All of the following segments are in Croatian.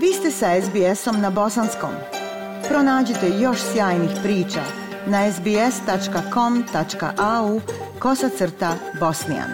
Vi ste sa SBS-om na bosanskom. Pronađite još sjajnih priča na sbs.com.au/bosnian.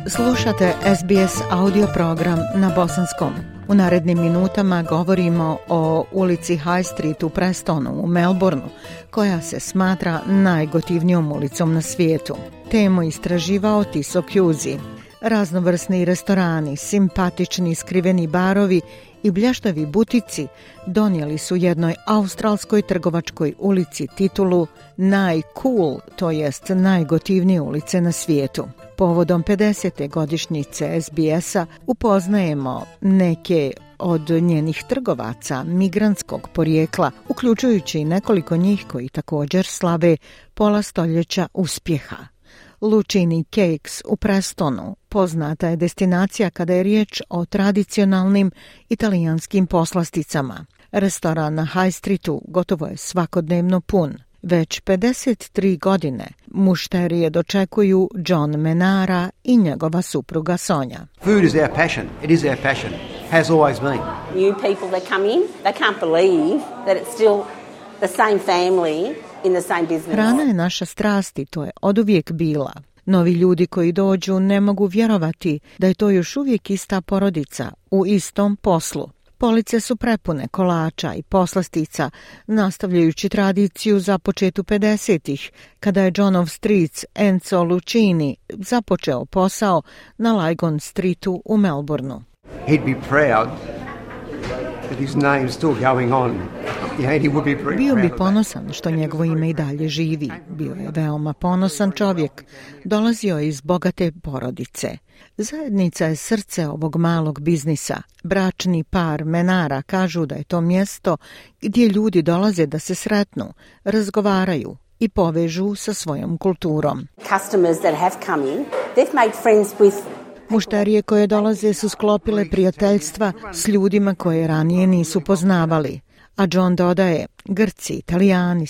Slušate SBS audio program na bosanskom. U narednim minutama govorimo o ulici High Street u Prestonu u Melbourneu, koja se smatra najgotivnijom ulicom na svijetu. Temu istraživao Tiso Kjuzi. Raznovrsni restorani, simpatični skriveni barovi i blještavi butici donijeli su jednoj australskoj trgovačkoj ulici titulu najcool, to jest najgotivnije ulice na svijetu. Povodom 50. godišnjice SBS-a upoznajemo neke od njenih trgovaca migrantskog porijekla, uključujući i nekoliko njih koji također slave pola stoljeća uspjeha. Lucini Cakes u Prestonu poznata je destinacija kada je riječ o tradicionalnim italijanskim poslasticama. Restoran na High Streetu gotovo je svakodnevno pun. Već 53 godine mušterije dočekuju John Menara i njegova supruga Sonja. Food is our passion. It is our passion. Has always been. New people that come in, they can't believe that it's still the same family in the same business. Hrana je naša strast i to je oduvijek bila. Novi ljudi koji dođu ne mogu vjerovati da je to još uvijek ista porodica u istom poslu. Police su prepune kolača i poslastica, nastavljajući tradiciju započetu 50-ih, kada je Johnov stric Enzo Lucini započeo posao na Lygon Streetu u Melbourneu. He'd be proud that his name's still going on. Bio bi ponosan što njegovo ime i dalje živi. Bio je veoma ponosan čovjek. Dolazio je iz bogate porodice. Zajednica je srce ovog malog biznisa. Bračni par Menara kažu da je to mjesto gdje ljudi dolaze da se sretnu, razgovaraju i povežu sa svojom kulturom. Customers that have come in, they've made friends with mušterije koje dolaze su sklopile prijateljstva s ljudima koje ranije nisu poznavali. A John dodaje, Grci, Italijani,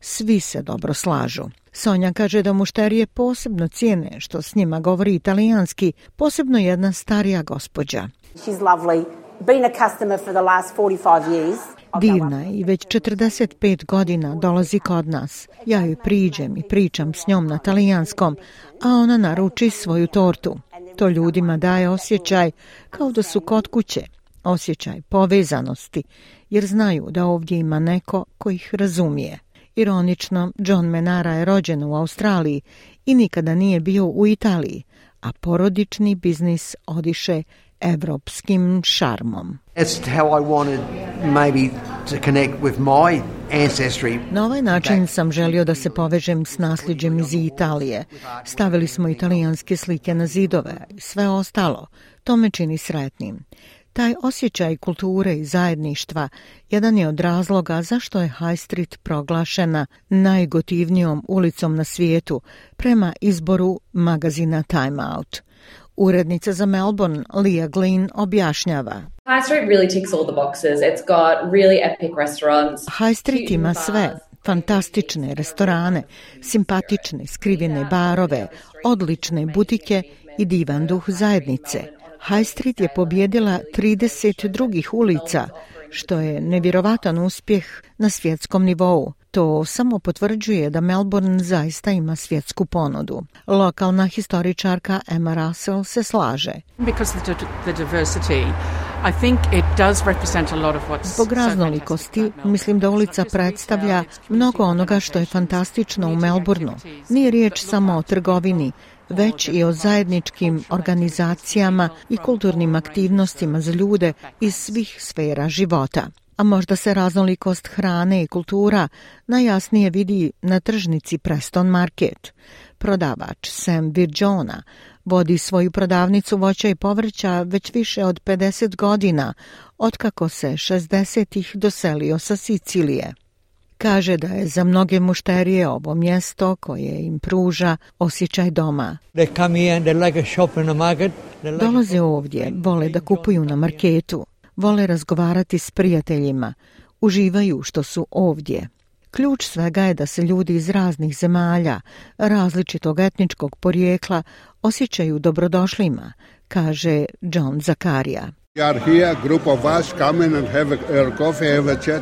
svi se dobro slažu. Sonja kaže da mušterije posebno cijene što s njima govori italijanski, posebno jedna starija gospođa. She's lovely. Been a customer for the last 45 years. Divna je i već 45 godina dolazi kod nas. Ja joj priđem i pričam s njom na talijanskom, a ona naruči svoju tortu. To ljudima daje osjećaj kao da su kod kuće, osjećaj povezanosti, jer znaju da ovdje ima neko ko ih razumije. Ironično, John Menara je rođen u Australiji i nikada nije bio u Italiji, a porodični biznis odiše evropskim šarmom. That's how I wanted maybe to connect with my ancestry. Na ovaj način sam želio da se povežem s nasljeđem iz Italije. Stavili smo italijanske slike na zidove i sve ostalo. To me čini sretnim. Taj osjećaj kulture i zajedništva jedan je od razloga zašto je High Street proglašena najgotivnijom ulicom na svijetu prema izboru magazina Time Out. Urednica za Melbourne, Leah Glynn, objašnjava. High Street really ticks all the boxes. It's got really epic restaurants. High Street ima sve. Fantastične restorane, simpatične skrivene barove, odlične butike i divan duh zajednice. High Street je pobjedila 30 drugih ulica, što je nevjerovatan uspjeh na svjetskom nivou. To samo potvrđuje da Melbourne zaista ima svjetsku ponudu. Lokalna historičarka Emma Russell se slaže. Zbog raznolikosti, mislim da ulica predstavlja mnogo onoga što je fantastično u Melbourneu. Nije riječ samo o trgovini, već i o zajedničkim organizacijama i kulturnim aktivnostima za ljude iz svih sfera života. A možda se raznolikost hrane i kultura najjasnije vidi na tržnici Preston Market. Prodavač Sam Virgiona vodi svoju prodavnicu voća i povrća već više od 50 godina, otkako se 60-ih doselio sa Sicilije. Kaže da je za mnoge mušterije ovo mjesto koje im pruža osjećaj doma. Dolaze ovdje, vole da kupuju na marketu, vole razgovarati s prijateljima, uživaju što su ovdje. Ključ svega je da se ljudi iz raznih zemalja, različitog etničkog porijekla osjećaju dobrodošlima, kaže John Zakaria.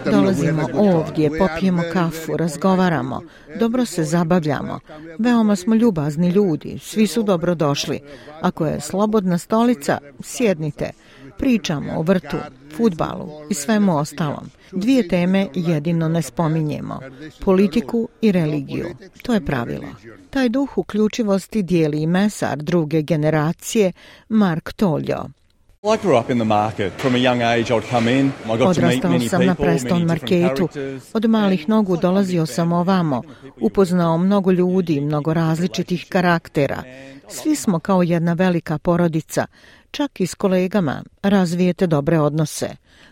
Dolazimo ovdje, popijemo kafu, razgovaramo, dobro se zabavljamo. Veoma smo ljubazni ljudi, svi su dobrodošli. Ako je slobodna stolica, sjednite. Pričamo o vrtu, fudbalu i svemu ostalom. 2 teme jedino ne spominjemo, politiku i religiju. To je pravilo. Taj duh uključivosti dijeli i mesar druge generacije Mark Toljo. Odrastao sam na Preston Marketu. Od malih nogu dolazio sam ovamo. Upoznao mnogo ljudi, mnogo različitih karaktera. Svi smo kao jedna velika porodica. Čak i s kolegama razvijete dobre odnose.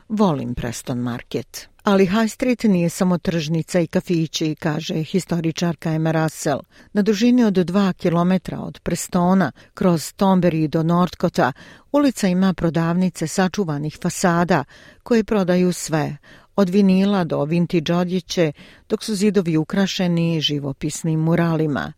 Volim Preston Market. Ali High Street nije samo tržnica i kafići, kaže historičarka Emma Russell. Na dužini od 2 kilometra od Prestona, kroz Thornbury do Northcota, ulica ima prodavnice sačuvanih fasada koje prodaju sve, od vinila do vintage odjeće, dok su zidovi ukrašeni živopisnim muralima.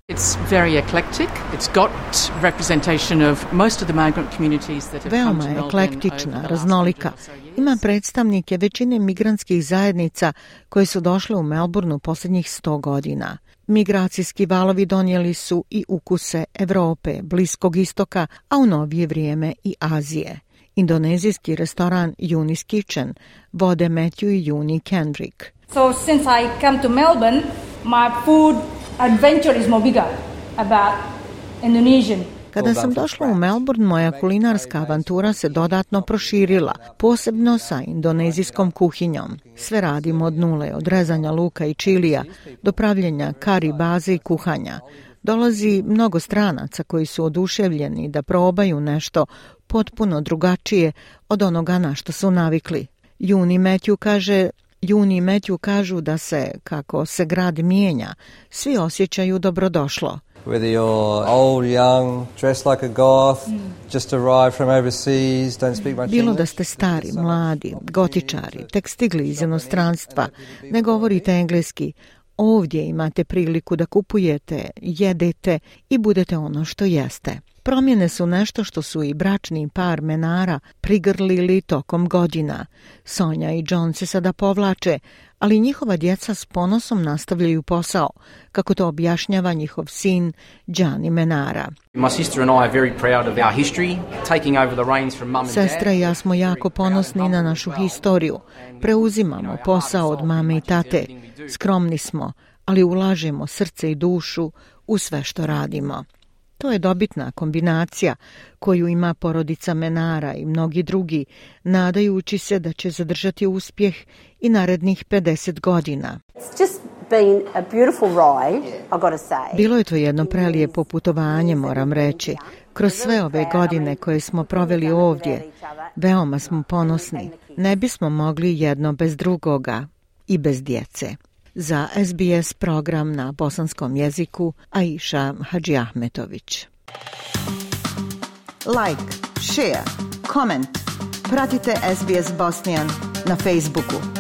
Veoma je eklektična, raznolika. Ima predstavnike većine migrantskih zajednica koje su došle u Melbourneu posljednjih 100 godina. Migracijski valovi donijeli su i ukuse Evrope, Bliskog istoka, a u novije vrijeme i Azije. Indonezijski restoran Uni's Kitchen vode Matthew i Uni Kendrick. So since I come to Melbourne, my food adventure is more bigger about Indonesian. Kada sam došla u Melbourne, moja kulinarska avantura se dodatno proširila, posebno sa indonezijskom kuhinjom. Sve radimo od nule, od rezanja luka i čilija do pravljenja kari baze i kuhanja. Dolazi mnogo stranaca koji su oduševljeni da probaju nešto potpuno drugačije od onoga na što su navikli. Juni i Matthew kažu da se, kako se grad mijenja, svi osjećaju dobrodošlo. Whether you're old, young, dressed like a goth, just arrived from overseas, don't speak much English. Bilo da ste stari, mladi, gotičari, tek stigli iz inostranstva, ne govorite engleski, ovdje imate priliku da kupujete, jedete i budete ono što jeste. Promjene su nešto što su i bračni par Menara prigrlili tokom godina. Sonja i John se sada povlače, ali njihova djeca s ponosom nastavljaju posao, kako to objašnjava njihov sin Gianni Menara. Sestra i ja smo jako ponosni na našu historiju. Preuzimamo posao od mame i tate. Skromni smo, ali ulažemo srce i dušu u sve što radimo. To je dobitna kombinacija koju ima porodica Menara i mnogi drugi, nadajući se da će zadržati uspjeh i narednih 50 godina. Bilo je to jedno prelijepo putovanje, moram reći. Kroz sve ove godine koje smo proveli ovdje, veoma smo ponosni. Ne bismo mogli jedno bez drugoga i bez djece. Za SBS program na bosanskom jeziku Aisha Hadžiahmetović. Like, share, comment. Pratite SBS Bosnian na Facebooku.